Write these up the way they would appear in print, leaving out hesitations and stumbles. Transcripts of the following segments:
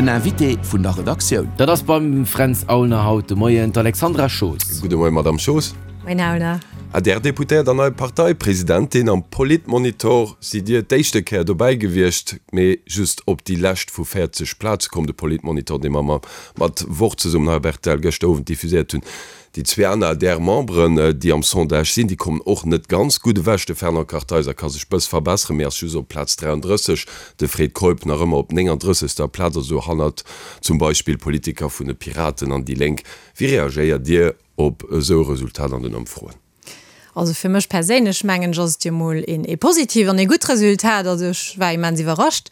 Den Invité vun der Redaktioun. Dat ass beim Fränz Aulner haut de Moien d'Alexandra Schoos. Gudde Moien, Madamm Schoos. Moien, Här Aulner. ADR-Deputéiert an nei Parteipresidentin. Am Politmonitor sidd Dir d'éischte Kéier dobäi gewiescht, mee just op déi lescht vu 40 Plaze komm. De Politmonitor, dee mer mat Wort zesummen hei op rtl gëschter Owend diffuséiert hunn. Déi zwee aner ADR-Memberen, déi am Sondage sinn, déi kommen och net ganz gutt ewech. De Fernand Kartheiser ka sech bëss verbesseren, mee ass just op Plaz 33. De Fred Keup nach ëmmer op 39. Plaz, also hannert zum Beispill Politiker vun de Piraten an déi Lénk. Wéi reagéiert Dir op esou e Resultat an den Ëmfroen? Also fir mech perséinlech mengen ech ass et jo mol een ee positivt an ee gutt Resultat. Also ech war immens iwwerrascht.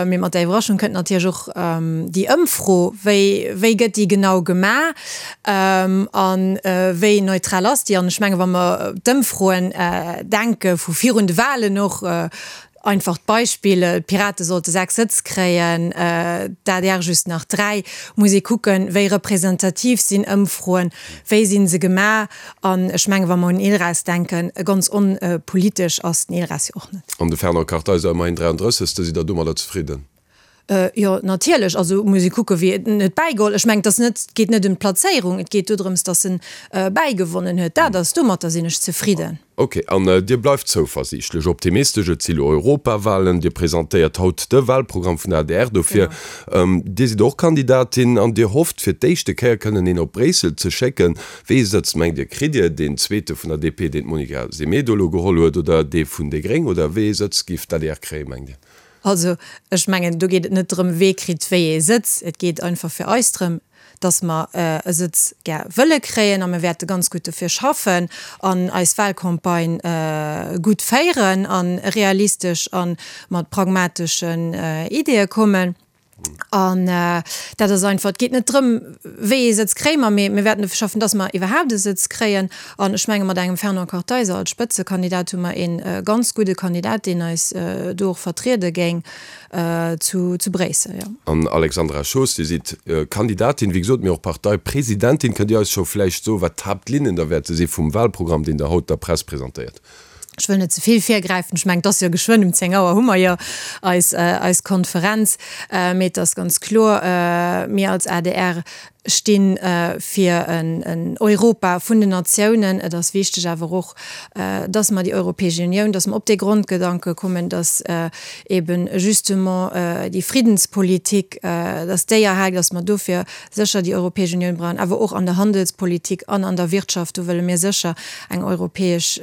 Mee mat där Iwwerraschung kënnt natierlech och déi Ëmfro, wéi wéi gëtt déi genau gemaach an wéi neutral ass déi? An ech menge wa mer d'Ëmfroen denke vu virun de Wahlen och, Einfacht Beispill, d'Pirate sollte 6 Sëtz kréien, d'ADR just nach 3. Muss ee kucken, wéi representativ sinn Ëmfroen, wéi si se gemaach. An ech mengen, wa mer un ILRAS denken, ganz onpolitesch ass den ILRAS jo och net. An de Fernand Kartheiser ëmmerhin 33. Sidd Der domadder zefridden? Jo, natierlech. Also muss ee kucken, wie en huet bäigeholl. Ech mengen, et ass net, et geet net ëm d'Plazéierung, et geet dodrëms, datt en bäigewonnen huet. Dat ass, domatter sinn ech zefridden. Ok, an Dir bleift zouversiichtlech, optimistesch. Et si lo Europawahlen. Dir presentéiert haut de Wahlprogramm vun der adr dofir. Dir sidd och Kandidatin an Dir hofft, fir d'éischte Kéier kënnen een op Bréissel ze schécken. Wee Sëtz mengt Dir kritt Dir? Deen zweete vun der DP, deen d'Monica Semedo elo geholl huet, oder dee vun déi Gréng? Oder wéi ee Sëtz giff d'ADR kréien, mengt Dir? Also, ech mengen, do geet et net drëm, wee kritt wéi ee Sëtz. Et geet einfach fir eis drëm, dass mer e Sëtz gär wëlle kréien a mir wäerte ganz gutt dofir schaffen an eis Wahlcampagne gutt féieren a realistesch a mat pragmateschen Ideeë kommen. An dat ass einfach, et geet net drëm, wéi ee Sëtz kréie mer, mee mir wäerten dofir schaffen, dass mer iwwerhaapt e Sëtz kréien. An ech menge mat engem Fernand Kartheiser als Spëtzekandidat hu mer ee ganz gudde Kandidat, deen eis do och vertriede géing zu Bréissel, jo. An Alexandra Schoos, Dir sidd Kandidatin, wéi gesot, mee och Parteipresidentin. Kënnt Dir eis scho vläicht soen, wat d'Haaptlinnen da wäerte si vum Wahlprogramm, deen Der haut der Press presentéiert? Ech wëll net ze vill virgräifen. Ech mengen, et ass jo geschwënn um 10 Auer hu mer jo eis, eis Konferenz. Mee et ass ganz kloer, mir als adr sti fir en Europa vun den Natiounen. Et ass wichteg awer och, dass mer déi Europäesch Unioun, dass mer op dee Grondgedanke kommen, dass eben justement déi Friddenspolitik, dass déi erhal gëtt, dass mer dofir sécher déi Europäesch Unioun brauchen, awer och an der Handelspolitik an an der Wirtschaft, do wëlle mir sécher eng Europäesch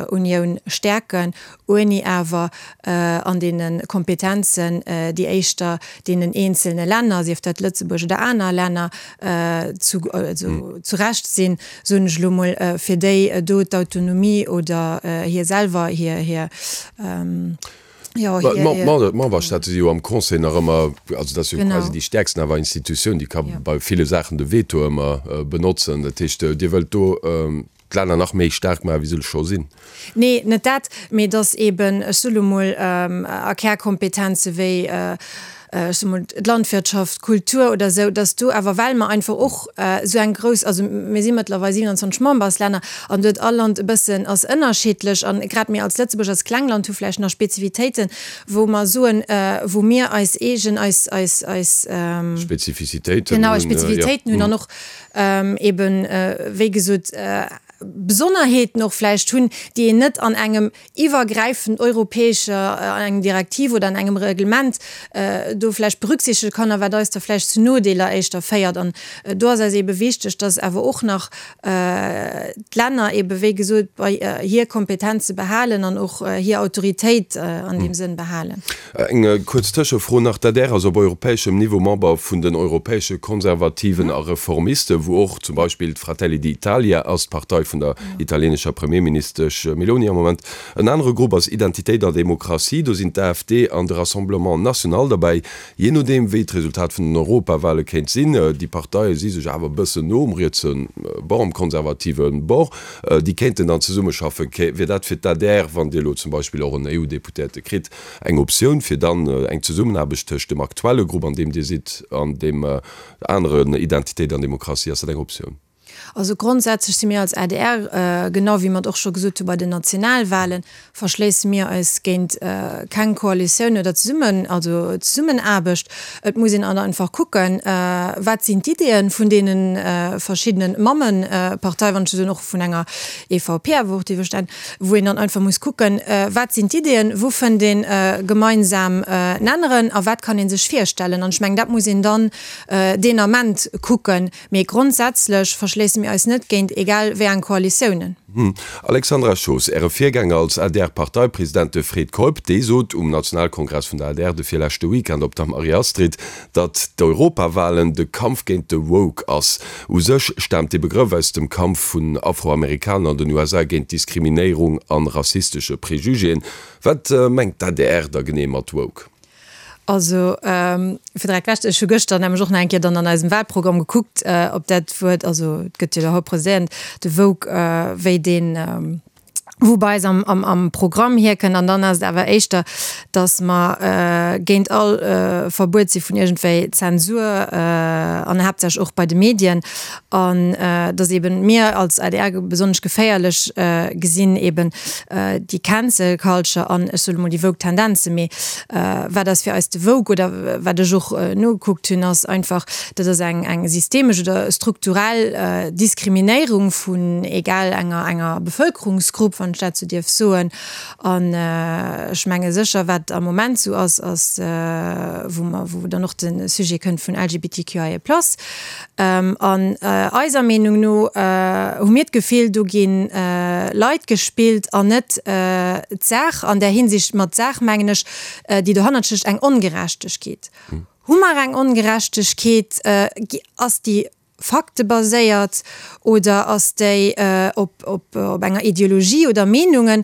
Unioun stäerken, ouni awer an deene Kompetenzen, déi éischter deenen eenzelne Länner, sief dat Lëtzebuerg oder aner Länner, zu, also zu Recht sinn, soen ech elo mol, fir déi do d'Autonomie oder hir selwer hir, hir. Jo, hir, hir. D'Memberstaate si jo am Conseil nach ëmmer, also dat ass jo quasi déi stäerksten awer Institutioun, déi ka bei ville Saachen de Veto ëmmer benotzen. Dat heescht, Dir wëllt do d'Länner nach méi staark maachen, wéi se scho sinn? Nee, net dat, mee datt eeben, ech soe lo mol, a Kärkompetenze wéi, ech soe mol, d'Landwirtschaft, d'Kultur oder esou, datt do awer, well mer einfach och esou eng grouss, also mir si mëttlerweil 27 Memberslänner an do huet all Land e bëssen, ass ënnerschiddlech an grad mir als Lëtzebuerg, als kleng Land hu vläicht nach Spezifitéiten, wou mer soen, wou mir eis eegen, eis, eis, eis. Spezifizitéiten hunn. Genau, eis Spezifitéiten hunn an och eben, wéi gesot, Besonnerheeten och vläicht hunn, déi een net an engem iwwergräifend europäescher, an engem Direktiv oder an engem Reglement do vläicht berücksichtege kann a wat eis da vläicht zu Nodeeler éischter féiert. An do ass eis eebe wichteg, dass awer och nach d'Länner eebe wéi gesot bei hir Kompetenze behalen an och hir Autoritéit an deem Sënn behalen. Eng kuerz Tëschefro nach, D'adr ass op europäeschem Niveau Member vun den europäesche Konservativen a Reformisten, wou och zum Beispill d'Fratelli d'Italia ass, d'Partei vun der italienescher Premierministesch Meloni am Moment. En anere Grupp ass Identitéit a Demokratie, do sinn d'AfD an de Rassemblement National derbäi. Jee nodeem wéi d'Resultat vun den Europawale kéint sinn, déi Parteie si sech awer e bëssen no um rietse Bord, um konservative Bord, déi kéinten dann zesummeschaffen. Wier dat fir d'ADR, wann Dir elo zum Beispill och en EU-Deputéierte kritt, Eng Optioun fir dann eng Zesummenaarbecht tëscht dem aktuelle Grupp, an deem Dir sidd, an deem aneren Identitéit an Demokratie, ass dat eng Optioun? Also grondsätzlech si mir als adr, genau wéi mer et och scho gesot hu bei den Nationalwahlen, verschléisse mir eis géint keng Koalitioun oder Zesummen, also Zesummenaarbecht. Et muss een einfach kucken, wat sinn d'Ideeën vun deene verschiddene Mammeparteien, wann ech esou soen, och vun enger EVP awer och, déi verstän, wou een dann einfach muss kucken, wat sinn d'Ideeën, wou fënnt ee gemeinsam Nenneren a wat kann ee sech virstellen. An ech mengen, dat muss een dann deen Ament kucken. Mee grondsätzlech verschléisse mir eis net géint egal wéi eng Koalitiounen. Alexandra Schoos, Äre Virgänger als ADR-Parteipresident, de Fred Keup, dee sot um Nationalkongress vun der adr de virleschte Weekend op der Marie-Astrid, datt d'Europawahlen de Kampf géint de Woke ass. U sech staamt dee Begrëff aus dem Kampf vun Afroamerikaner an den USA géint Diskriminéierung an rassistesche Prejugéen. Wat mengt d'ADR da genee mat Woke? Also, fir direkt wech, ech hu gëschter nämlech och nach eng Kéier dann an eisem Wahlprogramm gekuckt, ob dat Wuert, also et gëtt jo da haut preséiert, de Woke, wéi deen, wou bei eis am, am, am Programm hierkënnt. An dann ass et awer éischter, datt mer géint all Verbuet si vun iergendwéi Zensur an haaptsächlech och bei de Medien. An datt eben mir als adr besonnesch geféierlech gesinn eben déi Cancel Culture an, ech soe mol, déi woke Tendenzen. Mee wat ass fir eis de woke oder wat ech och nogekuckt hunn, ass einfach, dat ass eng eng systemesch oder strukturell Diskriminéierung vun egal enger enger Bevëlkerungsgrupp, wann ech dat sou dierf soen. An ech menge sécher, wat am Moment sou ass, ass wou mer, wou dann och de Sujet kënnt vun LGBTQIA plus. An eiser Meenung no hu mir d'Gefill, do gi Leit gespillt an net d'Saach. An där Hinsicht, mat Saach mengen ech, déi dohannert stécht, eng Ongerechtegkeet. Hu mer eng Ongerechtegkeet? Ass déi faktebaséiert oder ass déi op enger Ideologie oder Meenungen?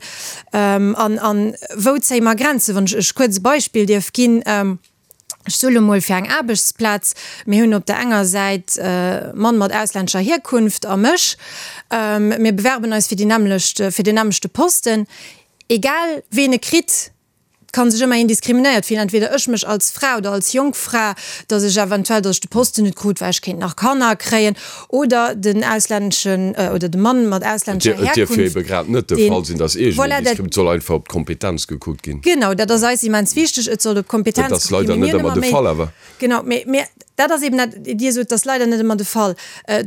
An wou zéie mer Grenzen? Wann ech kuerz e Beispill dierf ginn. Ech soe lo mol fir eng Aarbechtsplaz, mir hunn op der enger Säit e Mann mat auslännescher Hierkunft a mech, mir bewerben eis fir déi nämmlecht, fir deen nämmlechte Posten. Egal ween e kritt, et ka sech ëmmer een diskriminéiert fillen, entweder ech mech als Fra oder als jonk Fra, datt ech eventuell, datt ech de Posten net krut, well ech kéint nach Kanner kréien, oder den auslänneschen, oder de Mann mat auslännescher Herkunft. Et dierf jo ebe grad net de Fall sinn, datt iergendeen diskrim-, et soll einfach op d'Kompetenz gekuckt ginn. Genau, dat ass eis immens wichteg, et soll op d'Kompetenz gekuckt ginn. Dat ass leider net ëmmer de Fall awer. Genau, mee, mee dat ass eben dat, Dir sot, dat ass leider net ëmmer de Fall.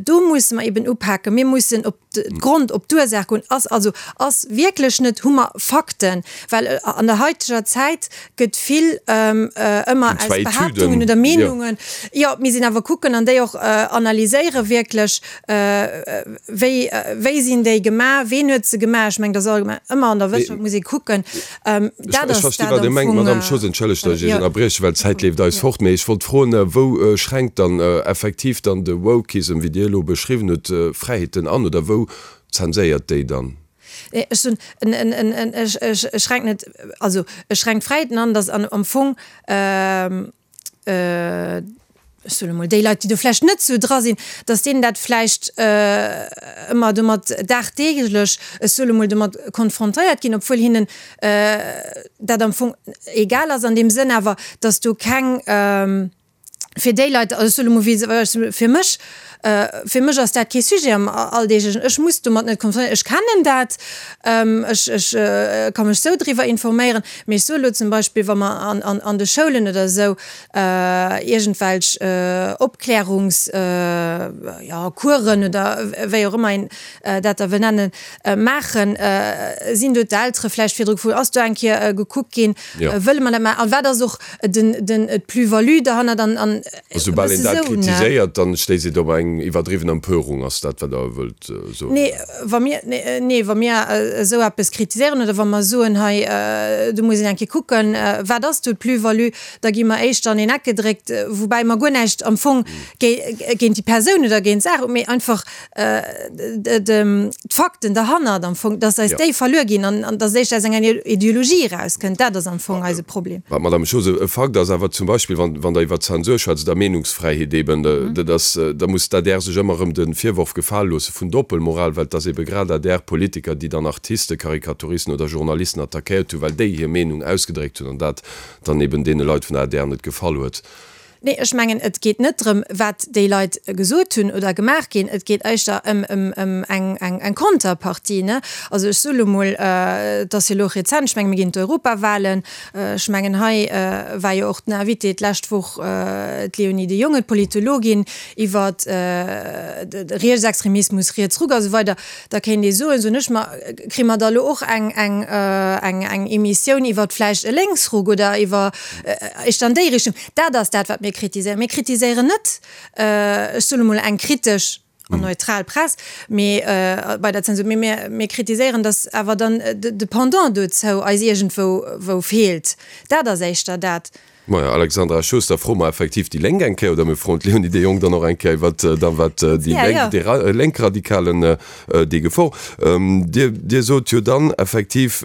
Do musse mer eben upaken. Mir mussen op d'Grond, op d'Ursaach goen. Ass also, ass wierklech net, hu mer Fakten? Well an der haiteger Zäit gëtt vill ëmmer aus Behaaptungen oder Meenungen, jo, mir sinn awer kucken an déi och analyséiere wierklech, wéi, wéi sinn déi gemaach, ween huet se gemaach. Ech mengen, dat ass allgemeng ëmmer an der Wëssenschaft muss ee kucken. Dat ass dat am Fong. Madame Schoos, entschëllegt, datt ech Iech ënnerbrieche, well d'Zäit leeft eis fort, mee ech wollt froen, wou schränkt dann effektiv dann de Wokism, wéi Dir elo beschriwwen hutt, Fräiheeten an oder wou zenséiert déi dann? Ech soen, ech schränken net, also ech schränk d'Fräiheeten an, datt am Fong, ech soen emol, déi Leit, déi do vläicht net esou dra sinn, datt deenen dat vläicht ëmmer domat dagdeeglech, ech soen emol, domat konfrontéiert ginn, obwuel hinnen dat am Fong egal ass an deem Sënn awer, datt do keng, fir déi Leit, also ech soe lo mol wéi fir mech, fir mech ass dat kee Sujet am Alldeeglechen, ech muss domat net konfrontéiert, ech kennen dat, ech ech ka mech sou driwwer informéieren, mee ech soe lo zum Beispill, wa mer an an an de Schoulen oder esou iergendwelch Opklärungs jo Coursen oder wéi och ëmmer een dat da wëll nennen, maachen, sinn do d'Eltere vläicht virdru gefrot, ass do eng Kéier gekuckt ginn, wëlle mer dat maachen a wat ass och den, den, d'Plus-value derhannert an, an e Soubal een dat kritiséiert, dann stéisst et op eng iwwerdriwwen Empörung, ass dat wat Der wëllt soen? Nee, wa mir, nee, wa mir esou eppes kritiséieren oder wa mer soen, hei do muss een eng Kéier kucken, wat ass do d'Plus-value, da gi mer éischter an een Eck gedréckt, woubäi mer guer näischt am Fong géint déi Persoun oder géint d'Saach hunn, mee einfach d'Fakten derhannert am Fong, dass eis déi verluer ginn an dass éischter aus enger Ideologie erauskënnt, dat ass am Fong eise Problem. Madame Schoos, e Fakt ass awer zum Beispill, wann Der iwwer Zensur schwätzt oder Meenungsfräiheet eben, dat ass, da muss d'ADR sech ëmmer erëm de Virworf gefale loosse vun Doppelmoral, well et ass ebe grad ADR-Politiker, déi dann Artisten, Karikaturisten oder Journalisten attackéiert hunn, well déi hir Meenung ausgedréckt hunn an dat dann eben deene Leit vun der ADR net gefall huet. Nee, ech mengen, et geet net drëm, wat déi Leit gesot hunn oder gemaach ginn. Et geet éischter ëm, ëm, ëm eng, eng, eng Konterpartie, ne? Also ech soe lo mol, et ass jo elo och rezent, ech menge mir ginn d'Europawahlen, ech mengen hei war jo och den Invité d'lescht Woch d'Léonie de Jonge, d'Politologin, iwwer de Rietsextremismus, Rietsruck a sou weider. Da kéint ee soen, soen ech mer, kréie mer da lo och eng, eng, eng, eng Emissioun iwwer vläicht e Lénksruck oder iwwer éischter an déi Richtung. Dat ass dat, wat mir kritiséieren. Mir kritiséieren net, ech soen emol, eng kritesch an neutral Press, mee bei der Zensur, mee mir, mir kritiséieren, datt awer dann de Pendant dozou eis iergendwou wou feelt. Dat ass éischter dat. Majo, Alexandra Schoos, da froe mer effektiv déi Lénk eng Kéier, oder mir froen d'Léonie de Jong dann och eng Kéier iwwert da wat déi Lénk, déi Lénkradikalen déi Gefor. Dir, Dir sot jo dann effektiv,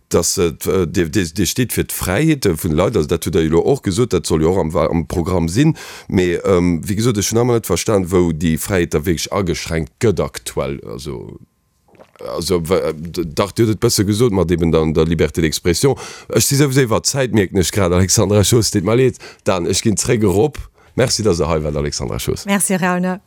dass Dir, Dir steet fir d'Fräiheete vun de Leit, also dat hutt Der jo elo och gesot, dat soll jo och am am Programm sinn. Mee wéi gesot, ech hunn nach ëmmer net verstan, wou déi Fräiheet da wierklech ageschränkt gëtt aktuell. Also. Also, dach, Dir hutt et bësse gesot mat eben der, der Liberté d'expression. Ech si souwisou iwwer d'Zäit, mierken ech grad, Alexandra Schoos. Deet mer leed. Dan, ech ginn zréck erop. Merci, dass Der hei waart, Alexandra Schoos. Merci, Rainer.